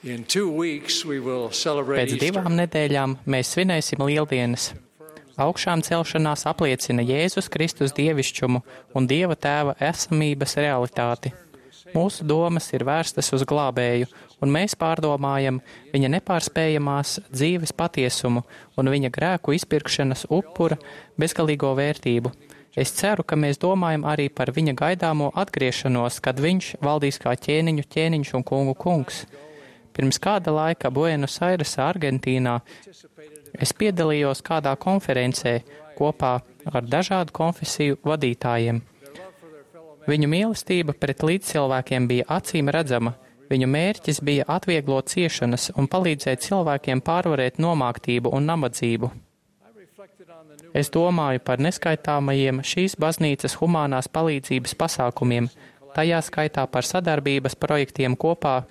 Pēc 2 nedēļām mēs svinēsim lieldienas. Augšām celšanās apliecina Jēzus Kristus dievišķumu un Dieva Tēva esamības realitāti. Mūsu domas ir vērstas uz glābēju, un mēs pārdomājam viņa nepārspējamās dzīves patiesumu un viņa grēku izpirkšanas upura bezgalīgo vērtību. Es ceru, ka mēs domājam arī par viņa gaidāmo atgriešanos, kad viņš valdīs kā ķēniņu ķēniņš un kungu kungs. Pirms kāda laika Buenos Airesā, Argentīnā, es piedalījos kādā konferencē kopā ar dažādu konfesiju vadītājiem. Viņu mīlestība pret līdzcilvēkiem bija acīm redzama. Viņu mērķis bija atvieglot ciešanas un palīdzēt cilvēkiem pārvarēt nomāktību un nabadzību. Es domāju par neskaitāmajiem šīs baznīcas humānās palīdzības pasākumiem, tajā skaitā par sadarbības projektiem kopā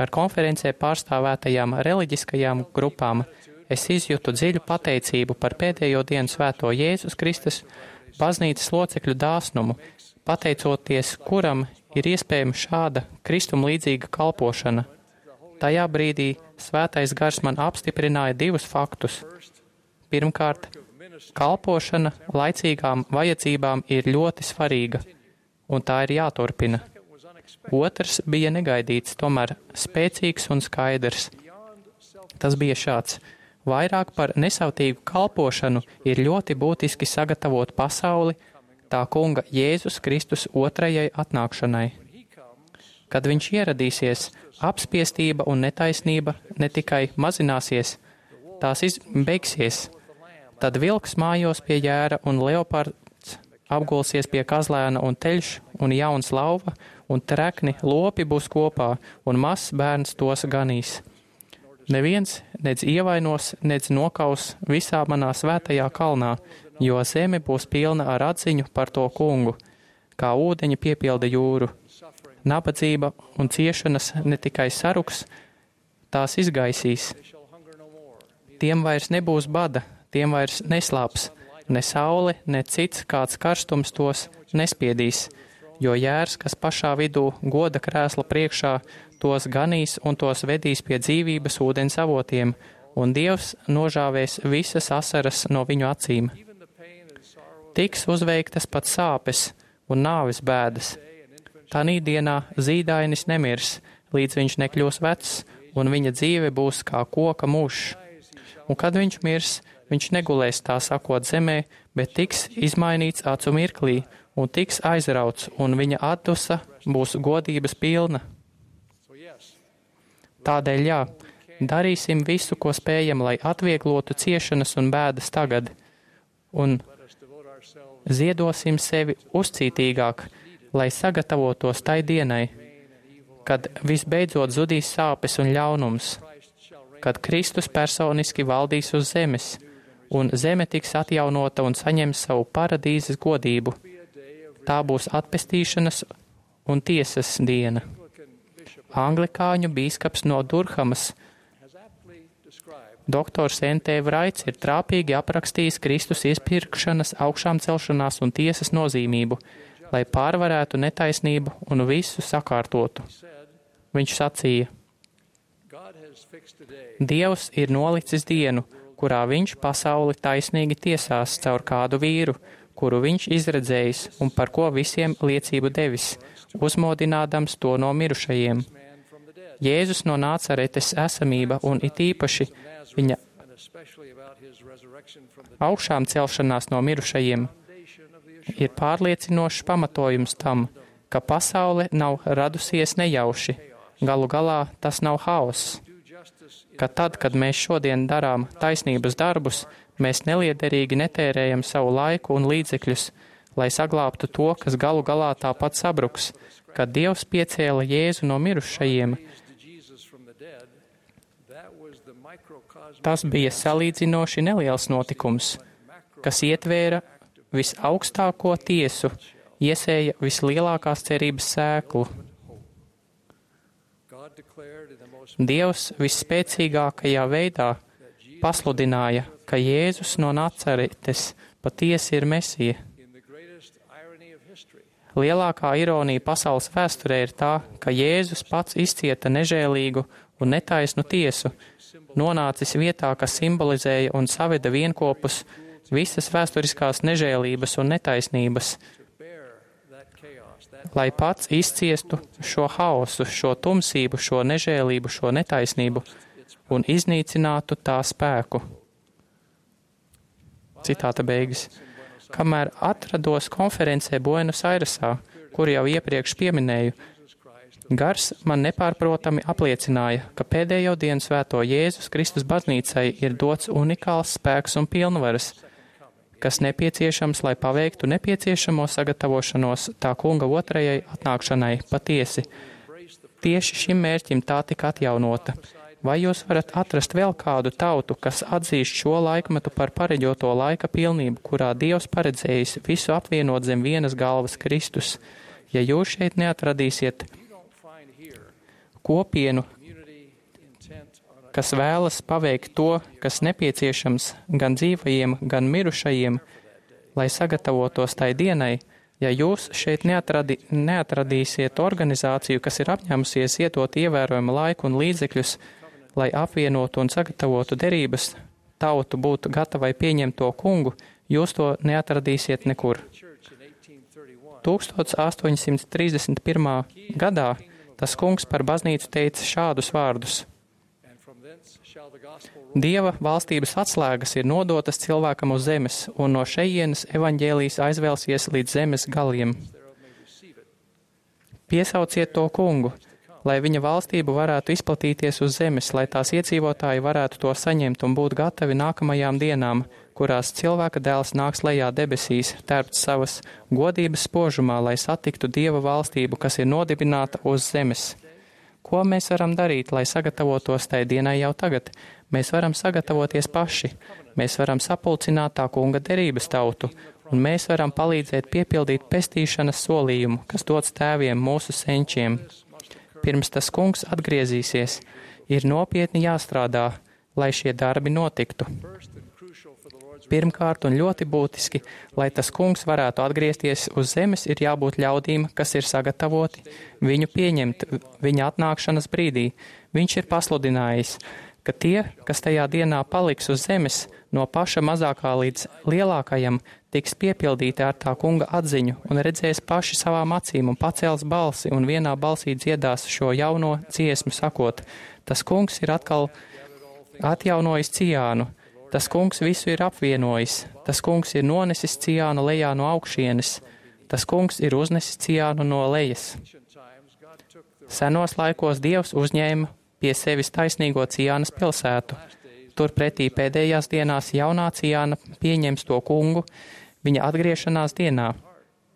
ar konferencē pārstāvētajām reliģiskajām grupām. Es izjūtu dziļu pateicību par pēdējo dienu svēto Jēzus Kristus baznīcas locekļu dāsnumu, pateicoties kuram ir iespējama šāda Kristum līdzīga kalpošana. Tajā brīdī svētais gars man apstiprināja 2 faktus. Pirmkārt, kalpošana laicīgām vajadzībām ir ļoti svarīga, un tā ir jāturpina. Otrs bija negaidīts, tomēr spēcīgs un skaidrs. Tas bija šāds. Vairāk par nesautīgu kalpošanu ir ļoti būtiski sagatavot pasauli tā kunga Jēzus Kristus otrajai atnākšanai. Kad viņš ieradīsies, apspiestība un netaisnība ne tikai mazināsies, tās beigsies. Tad vilks mājos pie jēra un leopards apgulsies pie kazlēna un teļš un jauns lauva un trekni lopi būs kopā un mazs bērns tos ganīs. Neviens nedz ievainos, nedz nokaus visā manā svētajā kalnā, jo zeme būs pilna ar atziņu par to kungu, kā ūdeņi piepilda jūru. Nabadzība un ciešanas ne tikai saruks, tās izgaisīs. Tiem vairs nebūs bada, tiem vairs neslāps, ne saule, ne cits kāds karstums tos nespiedīs, jo jērs, kas pašā vidū goda krēsla priekšā, tos ganīs un tos vedīs pie dzīvības ūdens avotiem, un Dievs nožāvēs visas asaras no viņu acīm. Tiks uzveiktas pat sāpes un nāves bēdas. Tanī dienā zīdainis nemirs, līdz viņš nekļūs vecs, un viņa dzīve būs kā koka mušs. Un kad viņš mirs, viņš negulēs tā sakot zemē, bet tiks izmainīts acu mirklī, un tiks aizrauts, un viņa atdusa būs godības pilna. Tādēļ jā, darīsim visu, ko spējam, lai atvieglotu ciešanas un bēdas tagad, un ziedosim sevi uzcītīgāk, lai sagatavotos tai dienai, kad visbeidzot zudīs sāpes un ļaunums, kad Kristus personiski valdīs uz zemes, un zeme tiks atjaunota un saņems savu paradīzes godību. Tā būs atpestīšanas un tiesas diena. Anglikāņu bīskaps no Durhamas, doktors N.T. Vraits, ir trāpīgi aprakstījis Kristus iespirkšanas, augšām celšanās un tiesas nozīmību, lai pārvarētu netaisnību un visu sakārtotu. Viņš sacīja: Dievs ir nolicis dienu, kurā viņš pasauli taisnīgi tiesās caur kādu vīru, kuru viņš izredzējis un par ko visiem liecību devis, uzmodinādams to no mirušajiem. Jēzus no Nācaretes esamība un it īpaši viņa augšām celšanās no mirušajiem ir pārliecinošs pamatojums tam, ka pasaule nav radusies nejauši, galu galā tas nav haoss, ka tad, kad mēs šodien darām taisnības darbus, mēs neliederīgi netērējam savu laiku un līdzekļus, lai saglābtu to, kas galu galā tāpat sabruks, kad Dievs piecēla Jēzu no mirušajiem. Tas bija salīdzinoši neliels notikums, kas ietvēra visaugstāko tiesu, iesēja vislielākās cerības sēklu. Dievs visspēcīgākajā veidā pasludināja, ka Jēzus no Nacaretes patiesi ir Mesija. Lielākā ironija pasaules vēsturē ir tā, ka Jēzus pats izcieta nežēlīgu un netaisnu tiesu, nonācis vietā, kas simbolizēja un saveda vienkopus visas vēsturiskās nežēlības un netaisnības, lai pats izciestu šo haosu, šo tumsību, šo nežēlību, šo netaisnību un iznīcinātu tā spēku. Citāta beigas. Kamēr atrados konferencē Buenos Airesā, kur jau iepriekš pieminēju, Gars man nepārprotami apliecināja, ka pēdējo dienu svēto Jēzus Kristus baznīcai ir dots unikāls spēks un pilnvaras, kas nepieciešams, lai paveiktu nepieciešamo sagatavošanos tā kunga otrajai atnākšanai patiesi. Tieši šim mērķim tā tika atjaunota. Vai jūs varat atrast vēl kādu tautu, kas atzīst šo laikmetu par pareģoto laika pilnību, kurā Dievs paredzējis visu apvienot zem vienas galvas Kristus? Ja jūs šeit neatradīsiet kopienu, kas vēlas paveikt to, kas nepieciešams gan dzīvajiem, gan mirušajiem, lai sagatavotos tai dienai, ja jūs šeit neatradīsiet organizāciju, kas ir apņēmusies ietot ievērojumu laiku un līdzekļus, lai apvienotu un sagatavotu derības, tautu būtu gatavai pieņemt to kungu, jūs to neatradīsiet nekur. 1831. gadā tas kungs par baznīcu teica šādus vārdus. Dieva valstības atslēgas ir nodotas cilvēkam uz zemes, un no šejienes evaņģēlijs aizvēlsies līdz zemes galiem. Piesauciet to kungu, lai viņa valstība varētu izplatīties uz zemes, lai tās iedzīvotāji varētu to saņemt un būt gatavi nākamajām dienām, kurās cilvēka dēls nāks lejā debesīs, tērpts savas godības spožumā, lai satiktu Dieva valstību, kas ir nodibināta uz zemes. Ko mēs varam darīt, lai sagatavotos tai dienai jau tagad? Mēs varam sagatavoties paši. Mēs varam sapulcināt tā kunga derības tautu, un mēs varam palīdzēt piepildīt pestīšanas solījumu, kas dots tēviem mūsu senčiem. Pirms tas kungs atgriezīsies, ir nopietni jāstrādā, lai šie darbi notiktu. Pirmkārt un ļoti būtiski, lai tas kungs varētu atgriezties uz zemes, ir jābūt ļaudīm, kas ir sagatavoti viņu pieņemt viņa atnākšanas brīdī. Viņš ir pasludinājis, ka tie, kas tajā dienā paliks uz zemes, no paša mazākā līdz lielākajam, tiks piepildīti ar tā kunga atziņu un redzēs paši savām acīm un pacels balsi un vienā balsī dziedās šo jauno dziesmu sakot, tas kungs ir atkal atjaunojis Ciānu. Tas kungs visu ir apvienojis, tas kungs ir nonesis Ciānu lejā no augšienes, tas kungs ir uznesis Ciānu no lejas. Senos laikos Dievs uzņēma pie sevis taisnīgo Ciānas pilsētu. Turpretī pēdējās dienās jaunā Ciāna pieņems to kungu viņa atgriešanās dienā.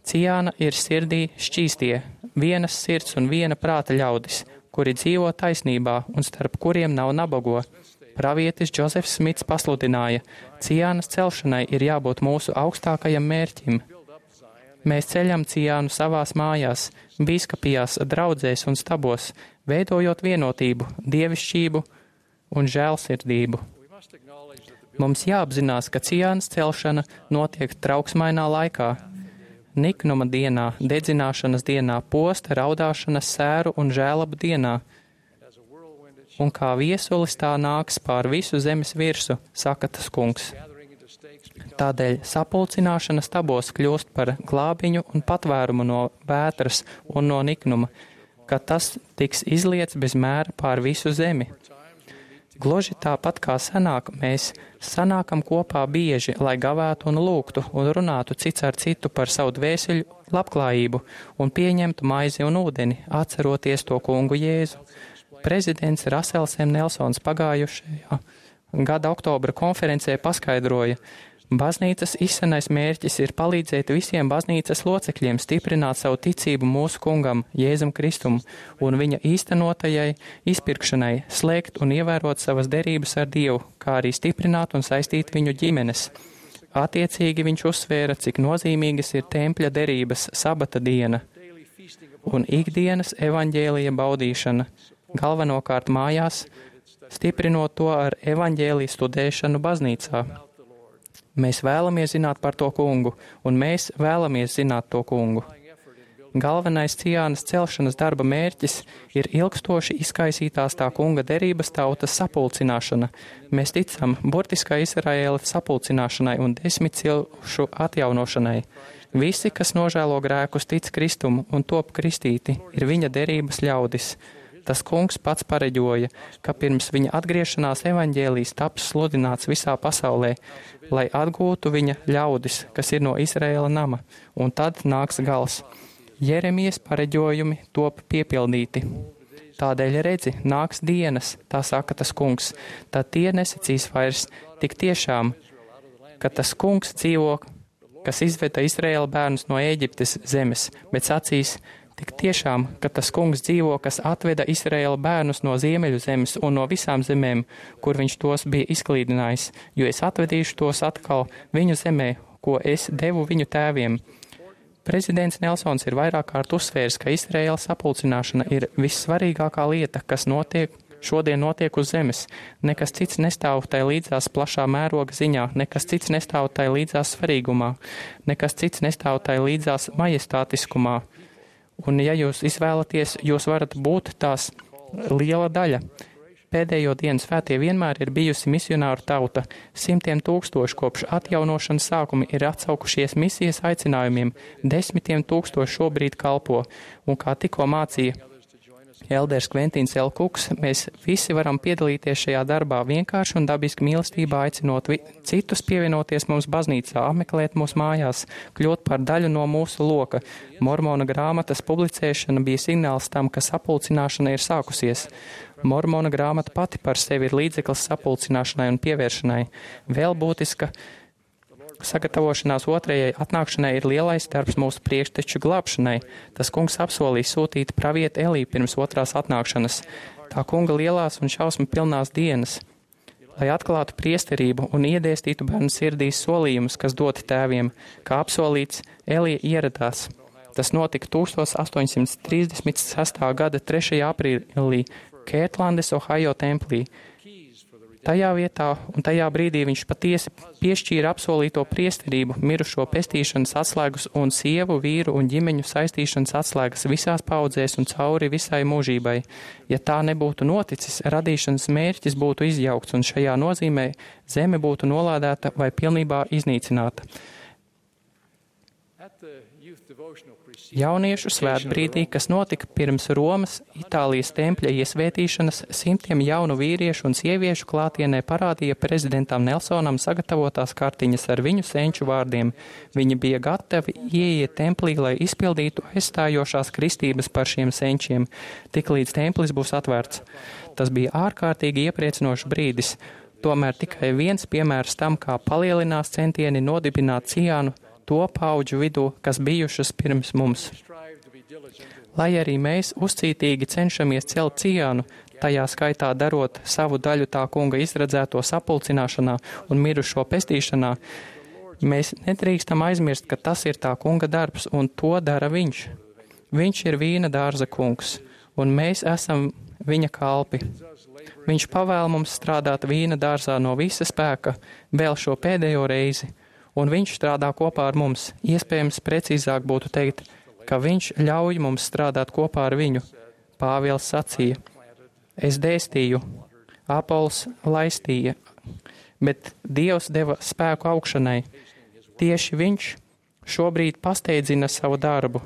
Ciāna ir sirdī šķīstie, vienas sirds un viena prāta ļaudis, kuri dzīvo taisnībā un starp kuriem nav nabago. Pravietis Džozefs Smits pasludināja, Ciānas celšanai ir jābūt mūsu augstākajam mērķim. Mēs ceļam Ciānu savās mājās, bīskapijās, draudzēs un stabos, veidojot vienotību, dievišķību un žēlsirdību. Mums jāapzinās, ka Ciānas celšana notiek trauksmainā laikā. Niknuma dienā, dedzināšanas dienā, posta, raudāšanas, sēru un žēlabu dienā. Un kā viesulis tā nāks pār visu zemes virsu, saka tas kungs. Tādēļ sapulcināšana stabos kļūst par glābiņu un patvērumu no vētras un no niknuma, ka tas tiks izliets bez mēra pār visu zemi. Gluži tāpat kā senāk, mēs sanākam kopā bieži, lai gavētu un lūgtu un runātu cits ar citu par savu dvēseļu labklājību un pieņemtu maizi un ūdeni, atceroties to kungu Jēzu. Prezidents Rasels M. Nelsons pagājušajā gada oktobra konferencē paskaidroja, baznīcas izsenais mērķis ir palīdzēt visiem baznīcas locekļiem stiprināt savu ticību mūsu kungam, Jēzum Kristum, un viņa īstenotajai izpirkšanai, slēgt un ievērot savas derības ar Dievu, kā arī stiprināt un saistīt viņu ģimenes. Attiecīgi viņš uzsvēra, cik nozīmīgas ir tempļa derības, sabata diena un ikdienas evaņģēlija baudīšana, galvenokārt mājās, stiprinot to ar evaņģēliju studēšanu baznīcā. Mēs vēlamies zināt par to kungu, un mēs vēlamies zināt to kungu. Galvenais Ciānas celšanas darba mērķis ir ilgstoši izkaisītās tā kunga derības tautas sapulcināšana. Mēs ticam burtiskai Izraēla sapulcināšanai un 10 cilšu atjaunošanai. Visi, kas nožēlo grēkus, tic Kristumu un top kristīti, ir viņa derības ļaudis. Tas kungs pats pareģoja, ka pirms viņa atgriešanās evaņģēlijs taps sludināts visā pasaulē, lai atgūtu viņa ļaudis, kas ir no Izraēla nama, un tad nāks gals. Jeremijas pareģojumi top piepildīti. Tādēļ redzi, nāks dienas, tā saka tas kungs, tad tie nesacīs vairs tik tiešām, ka tas kungs dzīvo, kas izveda Izraēla bērnus no Ēģiptes zemes, bet sacīs, tik tiešām, ka tas kungs dzīvo, kas atveda Izraēla bērnus no ziemeļu zemes un no visām zemēm, kur viņš tos bija izklīdinājis, jo es atvedīšu tos atkal viņu zemē, ko es devu viņu tēviem. Prezidents Nelsons ir vairāk kārt uzsvērs, ka Izraēla sapulcināšana ir vissvarīgākā lieta, kas šodien notiek uz zemes. Nekas cits nestāv tai līdzās plašā mēroga ziņā, nekas cits nestāv tai līdzās svarīgumā, nekas cits nestāv tai līdzās majestātiskumā. Un ja jūs izvēlaties, jūs varat būt tās liela daļa. Pēdējo dienu svētie vienmēr ir bijusi misionāru tauta. 100,000 kopš atjaunošanas sākuma ir atsaukušies misijas aicinājumiem, 10,000 šobrīd kalpo. Un kā tikko mācīja Elders Kventīns L. Kuks, mēs visi varam piedalīties šajā darbā vienkārši un dabiski mīlestībā, aicinot citus pievienoties mums baznīcā, apmeklēt mūsu mājās, kļūt par daļu no mūsu loka. Mormona grāmatas publicēšana bija signāls tam, ka sapulcināšana ir sākusies. Mormona grāmata pati par sevi ir līdzeklis sapulcināšanai un pievēršanai. Vēl būtiska sagatavošanās otrajai atnākšanai ir lielais darbs mūsu priekšteču glābšanai. Tas kungs apsolīja sūtīt pravieti Eliju pirms otrās atnākšanas. Tā kunga lielās un šausmu pilnās dienas, lai atklātu priesterību un iedēstītu bērnu sirdīs solījumus, kas doti tēviem, kā apsolīts, Elija ieradās. Tas notika 1836. gada 3. aprīlī Kērtlandes, Ohio templī. Tajā vietā un tajā brīdī viņš patiesi piešķīra apsolīto priesterību, mirušo pestīšanas atslēgas un sievu, vīru un ģimeņu saistīšanas atslēgas visās paudzēs un cauri visai mūžībai. Ja tā nebūtu noticis, radīšanas mērķis būtu izjaukts un šajā nozīmē zeme būtu nolādēta vai pilnībā iznīcināta. Jauniešu svētbrīdī, kas notika pirms Romas, Itālijas tempļa iesvētīšanas, 100 jaunu vīriešu un sieviešu klātienē parādīja prezidentam Nelsonam sagatavotās kartiņas ar viņu senču vārdiem. Viņi bija gatavi ieiet templī, lai izpildītu aizstājošās kristības par šiem senčiem, tik līdz templis būs atvērts. Tas bija ārkārtīgi iepriecinošs brīdis, tomēr tikai viens piemērs tam, kā palielinās centieni nodibināt Ciānu to paudžu vidū, kas bijušas pirms mums. Lai arī mēs uzcītīgi cenšamies celt Ciānu, tajā skaitā darot savu daļu tā kunga izredzēto sapulcināšanā un mirušo pestīšanā, mēs nedrīkstam aizmirst, ka tas ir tā kunga darbs, un to dara viņš. Viņš ir vīna dārza kungs, un mēs esam viņa kalpi. Viņš pavēl mums strādāt vīna dārzā no visa spēka, vēl šo pēdējo reizi, un viņš strādā kopā ar mums. Iespējams, precīzāk būtu teikt, ka viņš ļauj mums strādāt kopā ar viņu. Pāvils sacīja, es dēstīju, Apols laistīja, bet Dievs deva spēku augšanai. Tieši viņš šobrīd pasteidzina savu darbu.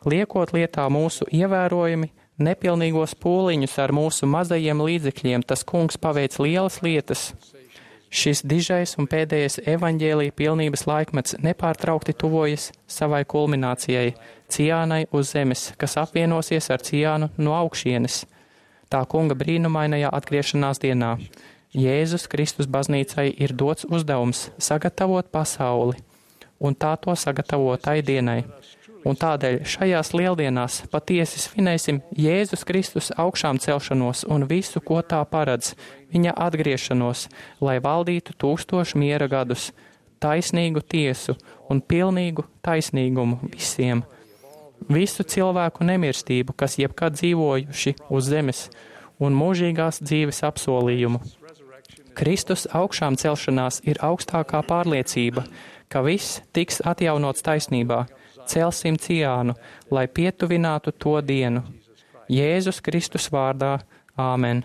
Liekot lietā mūsu ievērojami, nepilnīgos pūliņus ar mūsu mazajiem līdzekļiem, tas kungs paveic lielas lietas. Šis dižais un pēdējais evaņģēlija pilnības laikmets nepārtraukti tuvojas savai kulminācijai, Ciānai uz zemes, kas apvienosies ar Ciānu no augšienes. Tā kunga brīnumainajā atgriešanās dienā. Jēzus Kristus baznīcai ir dots uzdevums sagatavot pasauli, un tā to sagatavotai dienai. Un tādēļ šajās lieldienās patiesi svinēsim Jēzus Kristus augšām celšanos un visu, ko tā paredz, viņa atgriešanos, lai valdītu 1000 miera gadus, taisnīgu tiesu un pilnīgu taisnīgumu visiem. Visu cilvēku nemirstību, kas jebkad dzīvojuši uz zemes, un mūžīgās dzīves apsolījumu. Kristus augšām celšanās ir augstākā pārliecība, ka viss tiks atjaunots taisnībā. celsim ciānu, lai pietuvinātu to dienu. Jēzus Kristus vārdā. Āmen.